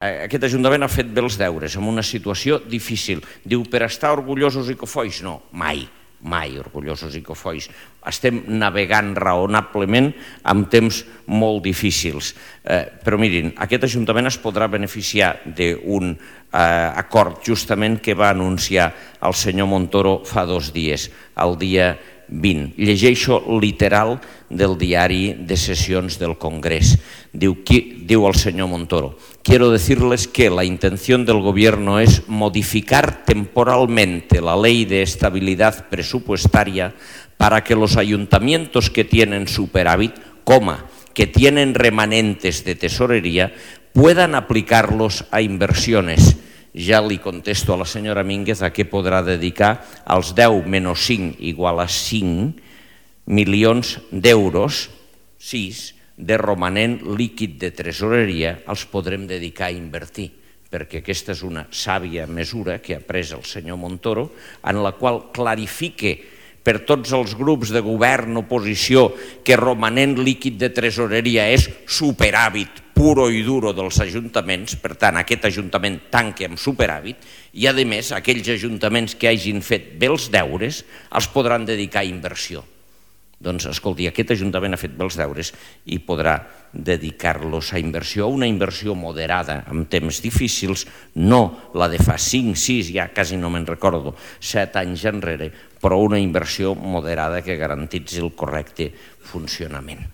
Aquest Ajuntament ha fet bé els deures en una situació difícil. Diu, per estar orgullosos i cofois? No, mai, mai orgullosos i cofois. Estem navegant raonablement amb temps molt difícils. Però mirin, aquest Ajuntament es podrà beneficiar d'un acord justament que va anunciar el senyor Montoro fa 2 dies, el dia 20. Llegeixo literal del diari de sesiones del Congrés. Diu el señor Montoro: quiero decirles que la intención del Gobierno es modificar temporalmente la Ley de Estabilidad Presupuestaria para que los ayuntamientos que tienen superávit, que tienen remanentes de tesorería, puedan aplicarlos a inversiones. Ja li contesto a la senyora Mínguez a què podrà dedicar els 10 menys 5 igual a 5 milions d'euros, 6, de romanent líquid de tresoreria, els podrem dedicar a invertir, perquè aquesta és una sàvia mesura que ha pres el senyor Montoro, en la qual clarifique per tots els grups de govern, oposició, que romanent líquid de tresoreria és superàvit puro i duro dels ajuntaments, per tant, aquest ajuntament tanca amb superàvit, i a més, aquells ajuntaments que hagin fet bé els deures els podran dedicar a inversió. Doncs, escolti, aquest ajuntament ha fet bé els deures i podrà dedicar-los a inversió, una inversió moderada en temps difícils, no la de fa 5, 6, ja quasi no me'n recordo, 7 anys enrere, però una inversió moderada que garantitzi el correcte funcionament.